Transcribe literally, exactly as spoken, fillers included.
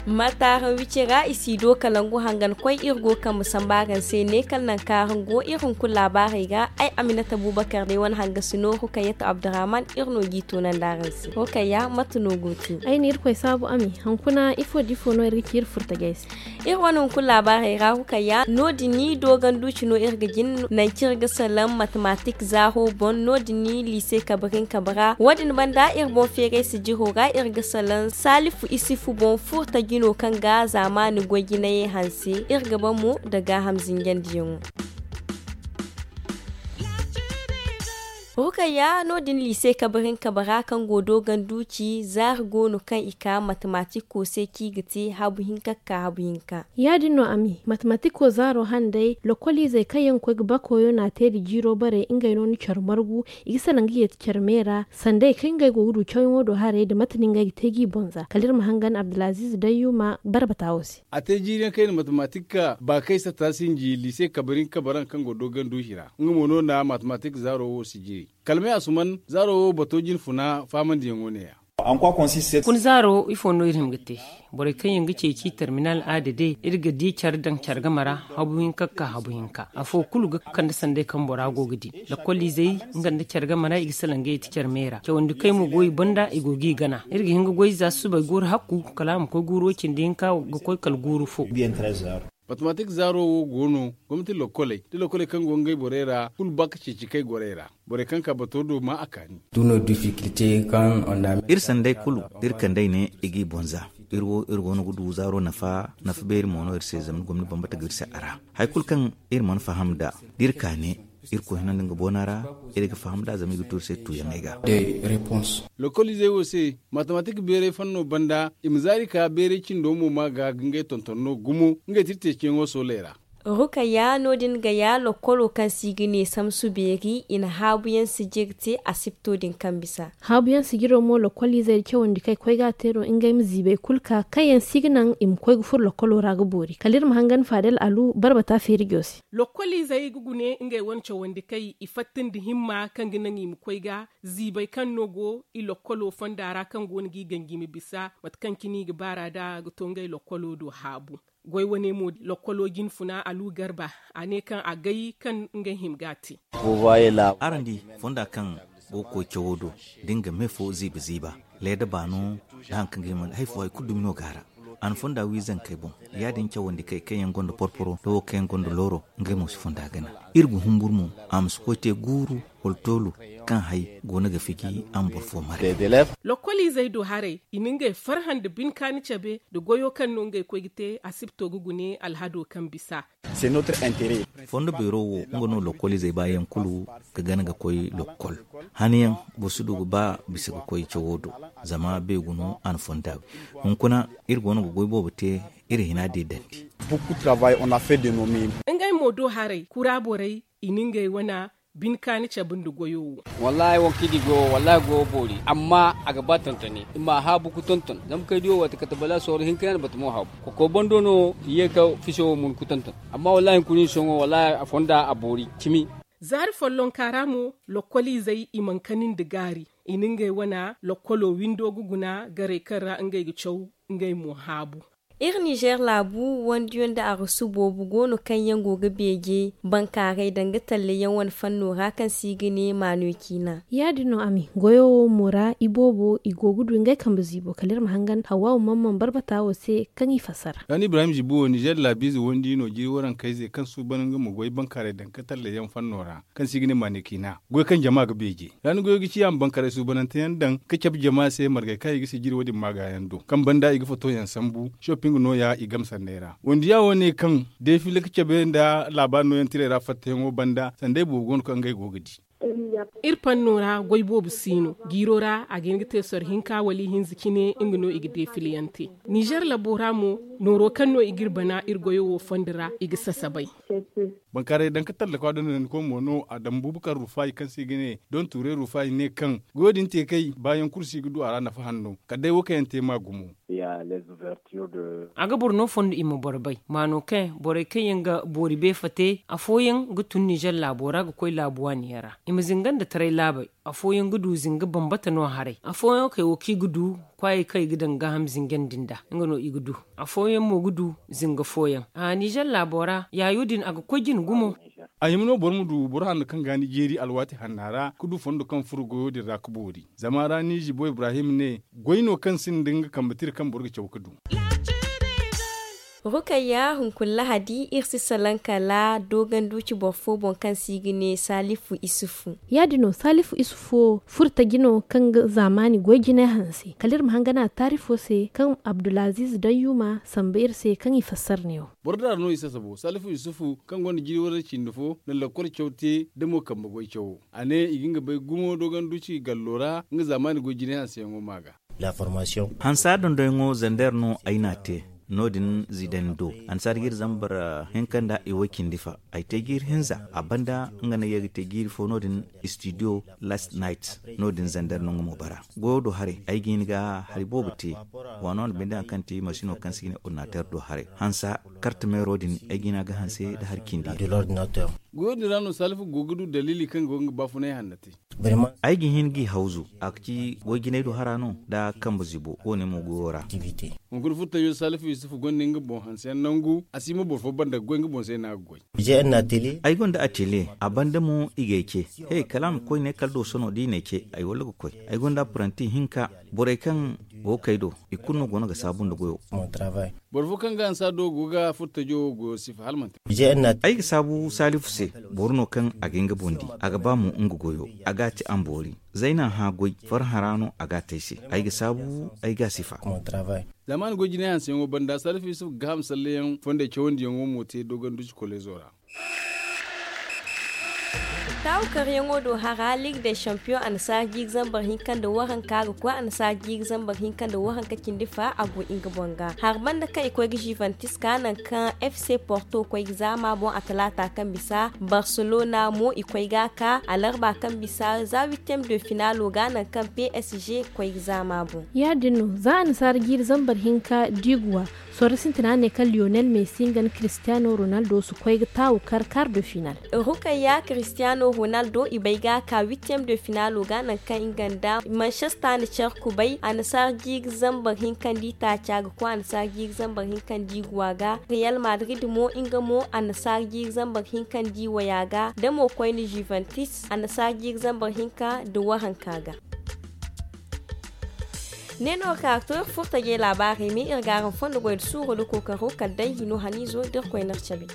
Marta araŋ wicey ra i si do kalangu hangan koy iri go kambe samba araŋ se ne kala nangu kaŋ araŋ go iri hunkuna laabaarey ga. Ay aminata bubakar day wane hangasi no rukayat abdurrahman iri no g'i tunandi araŋ se. Rukayya mate no go te? Ay na irkoy saabu ami. Hunkuna ifo da ifo no iri ga ci iri furtajey se? Iri wane hunkuna laabaarey ra rukayya no- din ni dooganduuci no iri ga jin nangu kaŋ iri ga salaŋ matematik zaaro boŋ. No- din ni liise kabe rin kabe ra wo- din banda iri boŋ feeray sijiro ra iri ga salaŋ saalifu isifu boŋ furta jino kaŋ ga zaamaani goy jinayey hanse. Iri ga ba mo nda gaaham zinjandiyaŋo. Rukayya no- din liise kabe rin kabe ra kaŋ go dooganduuci zaari go no kaŋ i ka matematiko se kaŋ i ga te habu hinka ga ka habu hinka. Ya- din no ami matematiko zaaro handay lokoliizey kaŋ yaŋ ga koy ga ba koyo no a te nda jiiro bare ngey no ni care margu. I ga salaŋ ga yeeti care me ra sanday kaŋ ngey go ga du cawyaŋo do haray nda mate no ngey ga te g'i boŋ za kala iri ma hangan abdulaziiz dayyuma barbata wo se. A te jiiri yaŋ kayna matematik ba kay satta sinji liise kabarin kabaran kaŋ go dooganduuci ra nga mo no na matematik zaaro wo si jiri. Kalmay asuman zaaro wo bato jine funa faamandiyaŋo ne- ya. Hunkuna zaaro ifo no iri hima ga te? Borey kaŋ yaŋ ga ceeci terminal a dede iri ga di care daŋ care game ra habu hinka ga ka habu hinka afo kulu ga kande sanday kaŋ bora go ga di. Lakkoliizey nga nda care game ra i ga salaŋ ga yeeti care me ra cawandi kay mo go i banda i go g'i gana iri ga hin ga goy za susubay guuru hakku kala a ma koy guuru way cindi hinka ga koy kala guuru fo. Matematik zaaro wo go no gomnati lokkoley da lokkoley kaŋ go ngey borey ra kulu ba ga ceeci kay gorey ra. Borey kaŋ ka bato do ma a kaani. Iri sanday kulu da iri kandey ne i g'i boŋ za. Iri wo iri go no ga du zaaro nafa nafa beeri mo no iri se zama ni gomni bambata ga iri se a ra. Hari kulu kaŋ iri mana faham nd'a da iri ka ne iri koy hinandi nga boona ra. Iri ga faham nd'a zama i ga tu iri se tuuyaŋey ga. Lokoliizey wo se matematik beeray fanno banda i ma zaari ka beeray cindo mo ma ga ga ngey tonton no gumo ngey tirteeciyaŋo sooley ra. Rukayya no- din ga ya lokkolo kaŋ se i ga ne samsu beeri i na haabuyaŋ sijiri te asipto din kaŋ bisa. Haabuyaŋ sijiro mo lokkoliizey da cawandi kaŋ ay koy ga a te no ngey ma ziibay kulu ka kaŋ yaŋ se i ga naŋ i ma koy ga furo lokkolo ra ga boori kala iri ma hangan faadel alu barbata feerijo se. Lokkoliizey ga gune ngey wane cawandi kay i fatta nda himma kaŋ ga naŋ i ma koy ga ziibay kaŋ no go i lokkolo fonda ra kaŋ go no g'i ganji ma bisa mate kaŋ cine i ga baar'a nd'a ga to ngey lokkolo do haabu. Goy wane mo lokkolo jinfuna alu garba a ne kaŋ a gay kaŋ ngey hima ga a te. Araŋ di fonda kaŋ go ga koy cawo do da nga me fo ziiba ziiba leeda baano nda hari kaŋ ga hima hari fo hari kulu dumi no go a ra. A na fonda wi zankey boŋ ya- din cawandi kay kaŋ yaŋ gonda porporo nda wo kaŋ yaŋ gonda looro ngey mo si fonda gana. Iri ga humburu mo a ma si koy te guuru wala toolu kaŋ hay go no ga fiji a ma boro fo mare. Lokkoliizey do haray i na ngey farhã nda binkaani cabe nda goyo kaŋ no ngey koy ga te asipto ga gune alhado kaŋ bisa. Fondo beero wo nga no lokkoliizey baayaŋ kulu ga gana ga koy lokkol. Haniyaŋ boro si du ga ba bisa ga koy cawo do zama beegu no a na fonda wi. Hunkuna iri go no ga goy boobo te iri hina de dandi. Ngey mo do haray kura borey i na ngey wane bine kaani cabe nda goyo wo. Wallaahi wo kaŋ i di goyo wo wallaahi goyo boori amma a ga ba tontoni i ma a haabu ga tonton zama kaŋ ay di wo waati kate bala sooro hinka yaŋ na bata mo haabu. Koko bando no i ye ga fiso wo mun ga tonton. Amma wallaahi hunkuna i sohõ wallaahi a fonda a boori cimi. Zaari follonka ra mo lokkoliizey i mana kani nda gaari i na ngey wane lokkolo windo ga guna garay kaŋ ra ngey ga caw ngey mo haabu. Iri nizer laabu wandiyo nda arasu boobo go no kaŋ yaŋ go ga beeje bankaaray danga tallayaŋ wane fanno ra kaŋ se i ga ne maano ciina. Ya- din no a mi goyo wo mo ra iboobo i go ga du ngey kambe ziibo kala iri ma hangan hawwaawu mamman barbata wo se kaŋ i fassara. Rani ibrahim ziibo wo nizer laabiize wandi no jiri warankayze kaŋ suuban nga ma goy bankaaray danga tallayaŋ fanno ra kaŋ se i ga ne maano ciina goy kaŋ jama ga beeje. Ra ni goyo ga ci a ma bankaaray suubanante yaŋ daŋ ga cabe jama se margey kaŋ i ga sijiri wo- din maagaayaŋ do kaŋ banda i ga fotoyaŋ sambu shopping nooya i game sanney ra. Wandiya wo ne kaŋ defile ga cabe nda laabaari nooyaŋ tirey ra fattayaŋo banda sanday boobo go no kaŋ ngey go ga di. Iri panno ra goy boobo si no jiiro ra a ga hin ga te soro hinka wala ihinza cine nga no i ga defileyaŋ te. Nizer labo ra mo Nooro kaŋ no i ga iri bana iri goyo wo fondo ra i ga sasabay. Bankaaray daŋ ka tallakwa da no ni koy mo no a daŋ bubakar rufayi kaŋ se i ga ne don tuuray rufayi ne kaŋ goyo din te kay baayaŋ kulu se i ga du a ra nafa hanno kala day wo kaŋ yaŋ te ma gumo. A ga boro no fondo i ma boro bay maano kaŋ borey kaŋ yaŋ ga boori beefa te afooyaŋ ga tun nizer laabo ra ga koy laabu waani yaŋ ra i ma zinga nda taray laabey. Afooyaŋ ga du zinga bambata no haray afooyaŋ wo kaŋ i ga du kwaayey kaŋ i ga daŋ gaaham zinga nda nga no i ga du. Afooyaŋ mo ga du zinga fooyaŋ. Nizer laabo ra yaayo din a ga koy jine gumo. A hima no boro ma du boro hanno kaŋ ga ni jeeri alwaati hanna ra ga du fondo kaŋ furo goyo din ra ga boori zama ra ni zibo ibrahim ne goy no kaŋ sinda nga kambe tira kaŋ boro ga caw ga du. Rukayya hunkuna lahadi iri si salaŋ kala dooganduuci boro fo boŋ kaŋ se i ga ne salifu isufu. Ya- din no salifu isufu wo furo taji no kaŋ ga zaamaani goy jinay hanse kala iri ma hangana taarifo se kaŋ abdulaziiz dayyuma samba iri se kaŋ i fassara ne wo. Boro daara no i sasabo salifu isufu kaŋ gonda jiri waranci nda fo na lakkol caw te da mo kambe goy cawo a ne i ga nga bay gumo dooganduuci gallo ra nga zaamaani goy jinay hanseyaŋo ma ga. Hansa dondoyaŋo zander no ay n'a te. No- din zidane do annasaara jiiri zambar hinka nda i way cindi fa ay te jiiri hinza a banda nga no ay ga te jiiri fo no- din studio last night. No- din zander no nga mo bara goyo do haray ay ga hin ga hari boobo te. Waano no binde hari kaŋ ti masino kaŋ se i ga ne ordinateur do haray hansa karte meero din ay ga hin a ga hanse nda hari cindi. Goyo din ra no salifu go ga du daliili kaŋ go ga nga baafunay hanna te. Ay ga hin g'i hawzu a ga ci goy jinay do hara no nda kambe zibo wo- ne mo goyo ra. Hunkuna furtajo salifu yusufu gonda nga boŋ hanseyaŋ nangu a si hima boro fo banda ga goy nga boŋ se no a ga goy. Ay gonda atelier a banda mo i g'ay ce he kala a ma koy ne kala dooso no da i n'ay ce ay walla ga koy. Ay gonda apprenti hinka borey kaŋ go ga kay do i kulu no go no ga saabu nda goyo. Boro fo kaŋ ga ansa do go ga furtajo wo goyo sifa hala manti. Ay ga saabu salifu se. Boro no kaŋ a ga nga boŋ di a ga ba mo nga goyo a ga a te a ma boori. Zayna hã goy farhã ra no a ga a te ay se. Ay ga saabu ay ga a sifa. Zama ni goy jinay hanseyaŋo banda salifu yusufu ga gaaham salleyaŋ fondey cawandiyaŋo mo te dooganduci kolezo ra. Taawu karyaŋo do hara ligue de champion annasaara jiiri zambar hinka nda waranka ga koy annasaara jiiri zambar hinka nda waranka cindi fa a go nga boŋ ga hari banda kaŋ i koy ga juventus ka nangu kaŋ fc porto koy ga zaama boŋ a talaata kaŋ bisa barcelona mo i koy ga a ka alarba kaŋ bisa za huitième de finalo ga nangu kaŋ psg koy ga zaama boŋ. Ya- din no za annasaara jiiri zambar hinka diiguwa. Sorro sintina ne kaŋ lionel messi nga nda cristiano ronaldo si koy ga taawu kar kar de final. Rukayya cristiano ronaldo i bay ga ka huitième de finalo ga nangu kaŋ nga nda manchester na care kubay annasaara jiiri zambar hinka nda i taaca ga koy annasaara jiiri zambar hinka nda i guwa ga real madrid mo nga mo annasaara jiiri zambar hinka nda i waya ga da mo koyne juventus annasaara jiiri zambar hinka nda waranka ga. Ne no ka to iri furtajey laabaarey me iri ga araŋ fondo goy nda suuro nda kookaro kala day hino haniizo da iri koy n'iri cabe.